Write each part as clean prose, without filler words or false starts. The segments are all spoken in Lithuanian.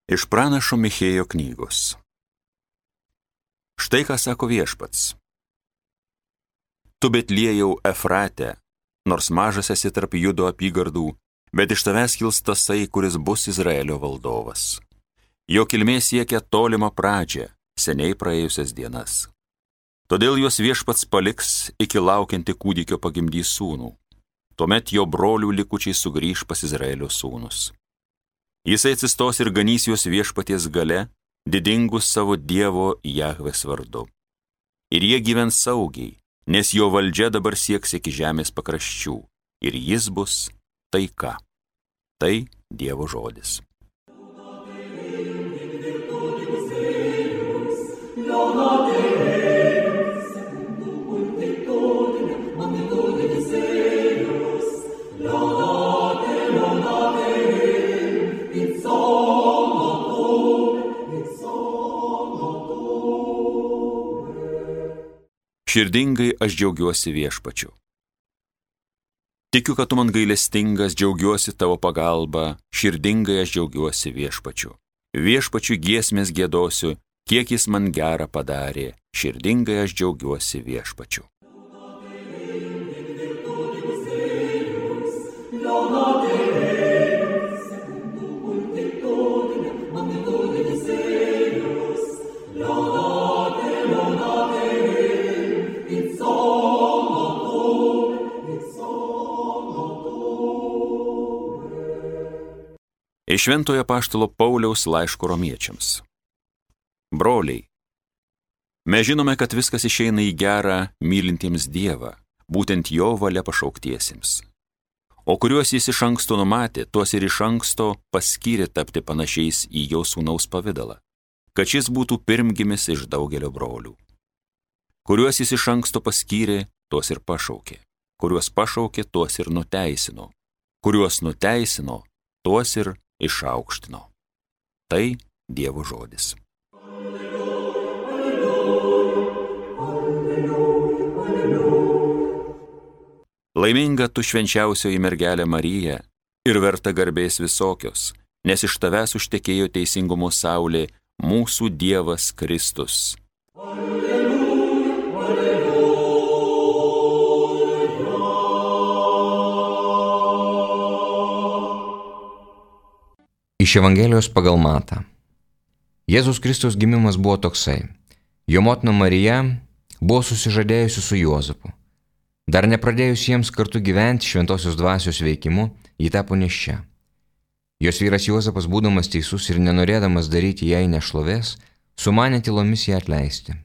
Iš pranašo Michėjo knygos. Štai ką sako Viešpats. Tu Betliejau Efrate, nors mažas esi tarp Judo apygardų, bet iš tavęs kils tasai, kuris bus Izraelio valdovas. Jo kilmė siekia tolimą pradžią, seniai praėjusias dienas. Todėl juos Viešpats paliks, iki laukianti kūdikio pagimdys sūnų. Tuomet jo brolių likučiai sugrįž pas Izraelio sūnus. Jisai atsistos ir ganys juos Viešpaties gale, didingus savo Dievo Jahvės vardu. Ir jie gyvens saugiai, nes jo valdžia dabar sieks iki žemės pakraščių, ir jis bus taika. Tai Dievo žodis. Širdingai aš džiaugiuosi Viešpačiu. Tikiu, kad tu man gailestingas, džiaugiuosi tavo pagalba, širdingai aš džiaugiuosi Viešpačiu. Viešpačiu giesmės giedosiu, kiek jis man gerą padarė, širdingai aš džiaugiuosi Viešpačiu. Iš Šventojo apaštalo Pauliaus laiško romiečiams. Broliai, mes žinome, kad viskas išeina į gerą mylintiems Dievą, būtent jo valia pašauktiesiems. O kuriuos jis iš anksto numatė, tuos ir iš anksto paskyrė tapti panašiais į jo sūnaus pavidalą, kad šis būtų pirmgimis iš daugelio brolių. Kuriuos jis iš anksto paskyrė, tuos ir pašaukė. Kuriuos pašaukė, tuos ir nuteisino. Kuriuos nuteisino, tuos ir išaukštino. Tai Dievo žodis. Laiminga tu švenčiausioji mergelė Marija ir verta garbės visokios, nes iš tavęs užtekėjo teisingumo saulė, mūsų Dievas Kristus. Iš Evangelijos pagal Matą. Jėzus Kristus gimimas buvo toksai. Jo motina Marija buvo susižadėjusi su Juozapu. Dar nepradėjus jiems kartu gyventi šventosios dvasios veikimu, ji tapo nėščia. Jos vyras Juozapas, būdamas teisus ir nenorėdamas daryti jai nešlovės, sumanė tylomis ją atleisti.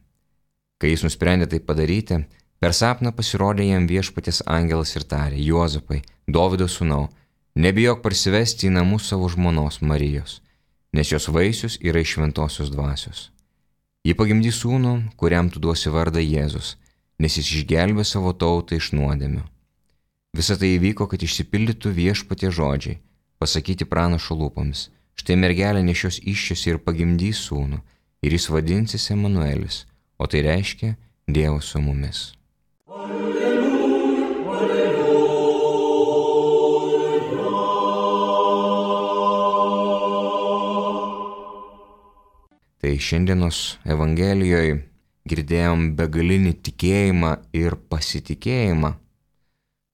Kai jis nusprendė tai padaryti, per sapną pasirodė jam Viešpaties angelas ir tarė: Juozapai, Dovydo sūnau, nebijok parsivesti į namus savo žmonos Marijos, nes jos vaisius yra iš šventosios dvasios. Ji pagimdys sūnų, kuriam tu duosi vardą Jėzus, nes jis išgelbė savo tautą iš nuodėmių. Visa tai įvyko, kad išsipildytų Viešpaties žodžiai, pasakyti pranašo lūpomis: štai mergelė nešios įsčias ir pagimdys sūnų, ir jis vadinsis Emanuelis, o tai reiškia Dievas su mumis. Tai šiandienos Evangelijoje girdėjom begalinį tikėjimą ir pasitikėjimą.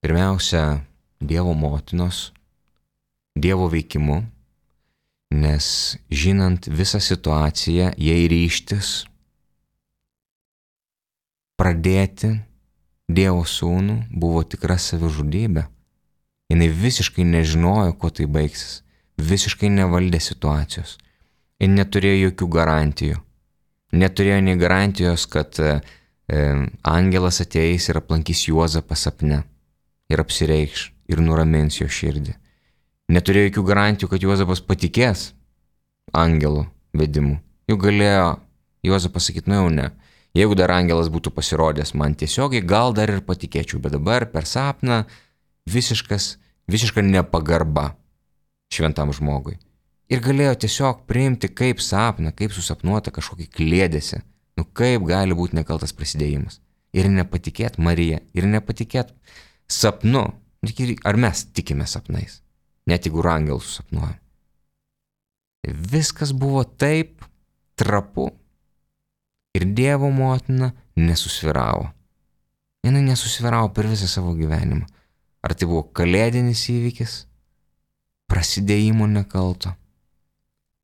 Pirmiausia, Dievo motinos, Dievo veikimu, nes žinant visą situaciją, jai ryžtis pradėti Dievo sūnų buvo tikra savižudybė. Jinai visiškai nežinojo, kuo tai baigsis, visiškai nevaldė situacijos. Ir neturėjo jokių garantijų. Neturėjo nei garantijos, kad angelas ateis ir aplankys Juozapą sapne ir apsireikš ir nuramins jo širdį. Neturėjo jokių garantijų, kad Juozapas patikės angelų vedimu. Juk galėjo Juozapas sakyti: nu jau ne. Jeigu dar angelas būtų pasirodęs man tiesiogiai, gal dar ir patikėčiau, bet dabar per sapną visiška nepagarba šventam žmogui. Ir galėjo tiesiog priimti kaip sapną, kaip susapnuota kažkokį kliedesį. Nu kaip gali būti nekaltas prasidėjimas? Ir nepatikėt Marija, ir nepatikėt sapnu. Ar mes tikime sapnais? Net jeigu angelus susapnuojam. Viskas buvo taip trapu ir Dievo motina nesusvyravo. Jinai nesusvyravo per visą savo gyvenimą. Ar tai buvo kalėdinis įvykis, prasidėjimo nekalto,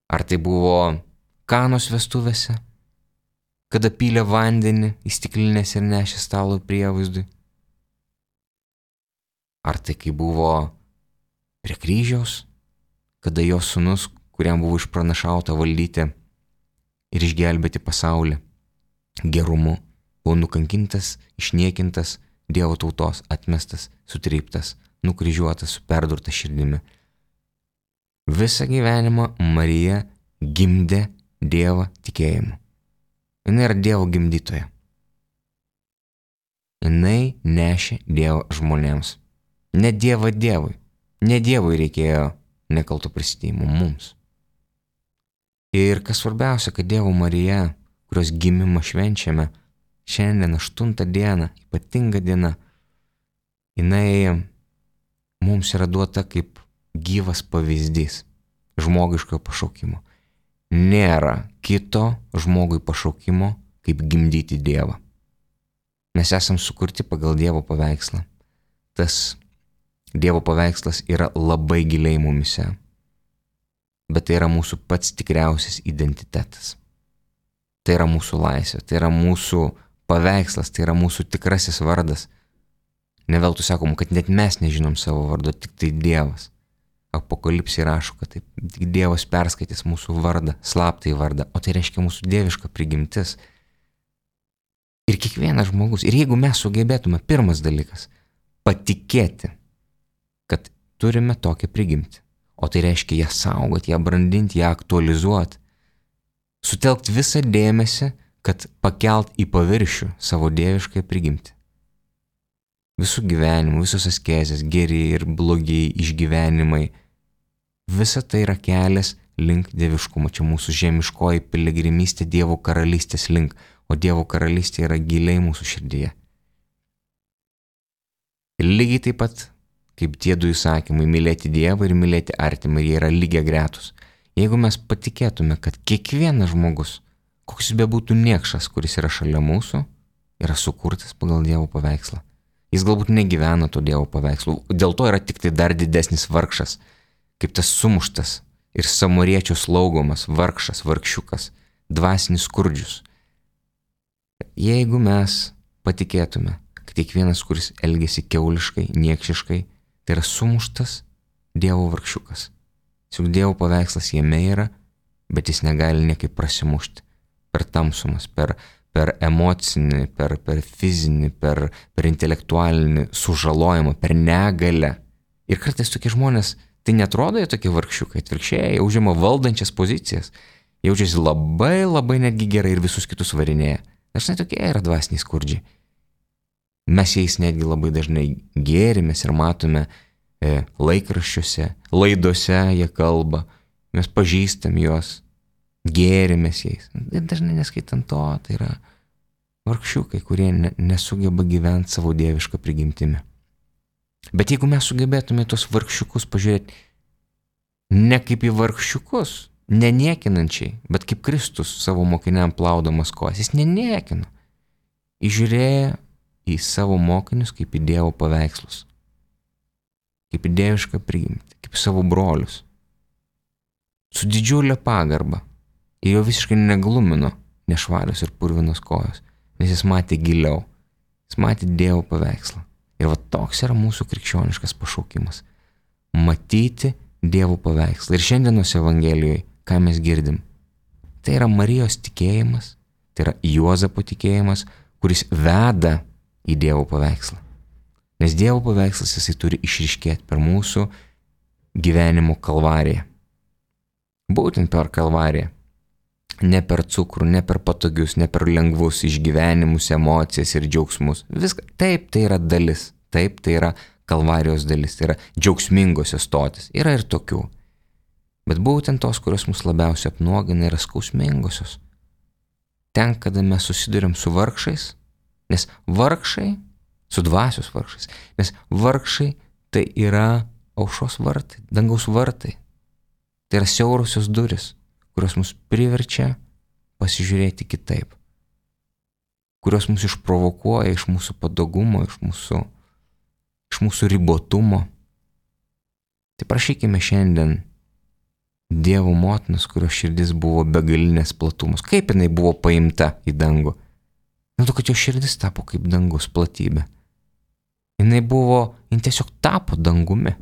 ar tai buvo Kanos vestuvėse, kada pylė vandenį į stiklinės ir nešė stalo prievaizdui, ar tai kai buvo prie kryžiaus, kada jos sūnus, kuriam buvo išpranašauta valdyti ir išgelbėti pasaulį gerumu, buvo nukankintas, išniekintas, Dievo tautos, atmestas, sutryptas, nukryžiuotas, su perdurta širdimi. Visą gyvenimą Marija gimdė Dievą tikėjimu. Jinai yra Dievo gimdytoja. Jinai nešė Dievą žmonėms. Ne Dievą Dievui. Ne Dievui reikėjo nekalto prisidėjimo mums. Ir kas svarbiausia, kad Dievo Marija, kurios gimimą švenčiame, šiandien 8 dieną, ypatinga diena, jinai mums yra duota kaip gyvas pavyzdys žmogiškojo pašaukimo. Nėra kito žmogui pašaukimo, kaip gimdyti Dievą. Mes esam sukurti pagal Dievo paveikslą. Tas Dievo paveikslas yra labai giliai mumise, bet tai yra mūsų pats tikriausias identitetas. Tai yra mūsų laisvė, tai yra mūsų paveikslas, tai yra mūsų tikrasis vardas. Ne veltui sakom, kad net mes nežinom savo vardo, tik tai Dievas. Apokalipsė rašo, kad taip, tik Dievas perskaitys mūsų vardą, slaptąjį vardą, o tai reiškia mūsų dieviška prigimtis. Ir kiekvienas žmogus, ir jeigu mes sugebėtume, pirmas dalykas, patikėti, kad turime tokią prigimtį, o tai reiškia ją saugoti, ją brandinti, ją aktualizuoti, sutelkti visą dėmesį, kad pakelt į paviršių savo dievišką prigimtį. Visų gyvenimų, visos askezės, geri ir blogi išgyvenimai, visa tai yra kelias link dieviškumo. Čia mūsų žemiškoji piligrimystė Dievo karalystės link, o Dievo karalystė yra giliai mūsų širdyje. Ir lygiai taip pat, kaip tie du įsakymai, mylėti Dievą ir mylėti artimą, jie yra lygiagretus. Jeigu mes patikėtume, kad kiekvienas žmogus, koks jis bebūtų niekšas, kuris yra šalia mūsų, yra sukurtas pagal Dievo paveikslą. Jis galbūt negyvena to Dievo paveikslu, dėl to yra tik tai dar didesnis vargšas, kaip tas sumuštas ir samariečio slaugomas vargšas, vargšiukas, dvasinis skurdžius. Jeigu mes patikėtume, kad kiekvienas, kuris elgiasi kiauliškai, niekšiškai, tai yra sumuštas Dievo vargšiukas. Juk Dievo paveikslas jame yra, bet jis negali niekaip prasimušti per tamsumas, per emocinį, per fizinį, per intelektualinį sužalojimą, per negalę. Ir kartais tokie žmonės, tai netrodo jie tokie vargšiukai, atvirkščiai, jie užima valdančias pozicijas, jaučiasi labai, labai netgi gerai ir visus kitus varinėja. Dažnai tokie yra dvasiniai skurdžiai. Mes jais netgi labai dažnai gėrimės ir matome laikraščiuose, laidose jie kalba, mes pažįstam juos, gėrimės jais. Ir dažnai neskaitant to, tai yra vargšiukai, kurie nesugeba gyventi savo dievišką prigimtimi. Bet jeigu mes sugebėtume tos vargšiukus pažiūrėti ne kaip į vargšiukus, neniekinančiai, bet kaip Kristus savo mokiniam plaudamas kojas, jis neniekino. Įžiūrėjo į savo mokinius kaip į Dievo paveikslus, kaip į dievišką prigimtį, kaip savo brolius. Su didžiulė pagarba. Ir jo visiškai neglumino nešvarios ir purvinos kojos, nes jis matė giliau, jis matė Dievo paveikslą. Ir va toks yra mūsų krikščioniškas pašaukimas – matyti Dievo paveikslą. Ir šiandienos Evangelijoje, ką mes girdim, tai yra Marijos tikėjimas, tai yra Juozapo tikėjimas, kuris veda į Dievo paveikslą. Nes Dievo paveikslas jisai turi išryškėti per mūsų gyvenimo kalvariją. Būtent per kalvariją. Ne per cukrų, ne per patogius, ne per lengvus išgyvenimus, emocijas ir džiaugsmus. Viską. Taip, tai yra dalis. Taip, tai yra kalvarijos dalis. Tai yra džiaugsmingosios stotis. Yra ir tokių. Bet būtent tos, kurios mus labiausiai apnuogina, yra skausmingosios. Ten, kada mes susiduriam su vargšais, nes vargšai, su dvasios vargšais, nes vargšai tai yra aušros vartai, dangaus vartai. Tai yra siaurosios duris, kurios mus priverčia pasižiūrėti kitaip, kurios mus išprovokuoja iš mūsų patogumo, iš mūsų ribotumo. Tai prašykime šiandien Dievo motinos, kurios širdis buvo begalinės platumus. Kaip jinai buvo paimta į dangų? Dėl to, kad jo širdis tapo kaip dangus platybė. Jinai tiesiog tapo dangumi.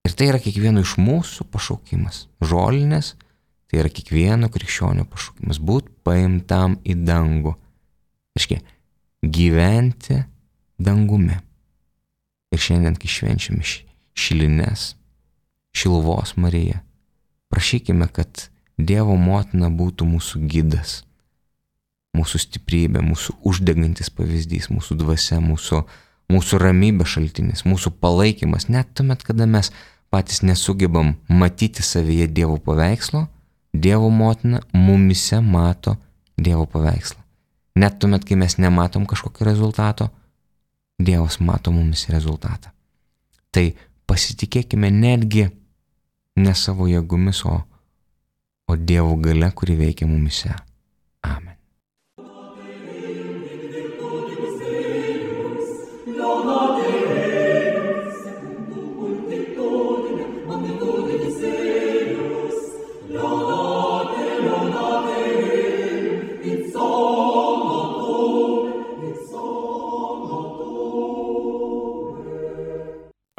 Ir tai yra kiekvieno iš mūsų pašaukimas. Žolinės, tai yra kiekvieno krikščionio pašaukimas. Būt paimtam į dangų. Reiškia, gyventi dangumi. Ir šiandien, kai švenčiame šilines, Šiluvos Mariją, prašykime, kad Dievo motina būtų mūsų gidas, mūsų stiprybė, mūsų uždegantis pavyzdys, mūsų dvasia, mūsų ramybė šaltinis, mūsų palaikymas. Net tuomet, kada mes patys nesugebam matyti savyje Dievo paveikslo, Dievo motina mumise mato Dievo paveikslą. Net tuomet, kai mes nematom kažkokio rezultato, Dievas mato mumise rezultatą. Tai pasitikėkime netgi ne savo jėgomis, o Dievo galia, kuri veikia mumise. Amen.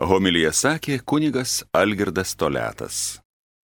Homiliją sakė kunigas Algirdas Toliatas.